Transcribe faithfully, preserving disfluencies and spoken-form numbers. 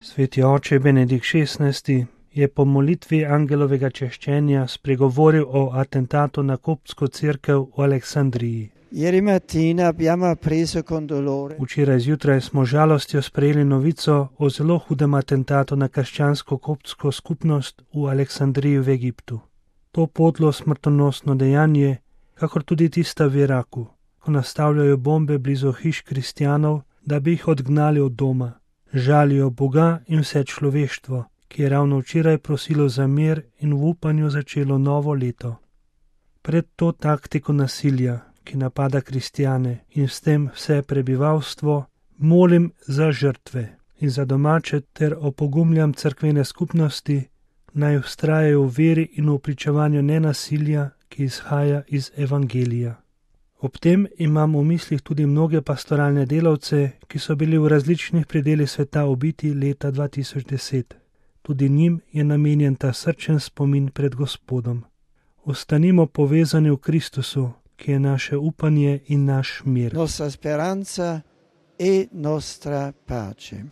Sveti oče Benedikt šestnajsti je po molitvi angelovega češčenja spregovoril o atentatu na koptsko cerkev v Aleksandriji. Ieri mattina abbiamo appreso con dolore Včeraj zjutraj smo z žalostjo sprejeli novico o zelo hudem atentatu na krščansko koptsko skupnost v Aleksandriji v Egiptu. To podlo smrtonosno dejanje, kakor tudi tista v Iraku, ko nastavljajo bombe blizu hiš kristjanov, da bi jih odgnali od doma. Žalijo Boga in vse človeštvo, ki je ravno včeraj prosilo za mir in v upanju začelo novo leto. Pred to taktiko nasilja, ki napada kristjane in s tem vse prebivalstvo, molim za žrtve in za domače ter opogumljam cerkvene skupnosti, naj vztrajajo v veri in v pričevanju nenasilja, ki izhaja iz evangelija. Ob tem imam v mislih tudi mnoge pastoralne delavce, ki so bili v različnih predelih sveta ubiti leta dva tisoč deset. Tudi njim je namenjen ta srčen spomin pred Gospodom. Ostanimo povezani v Kristusu, ki je naše upanje in naš mir. nostra speranza e nostra pace.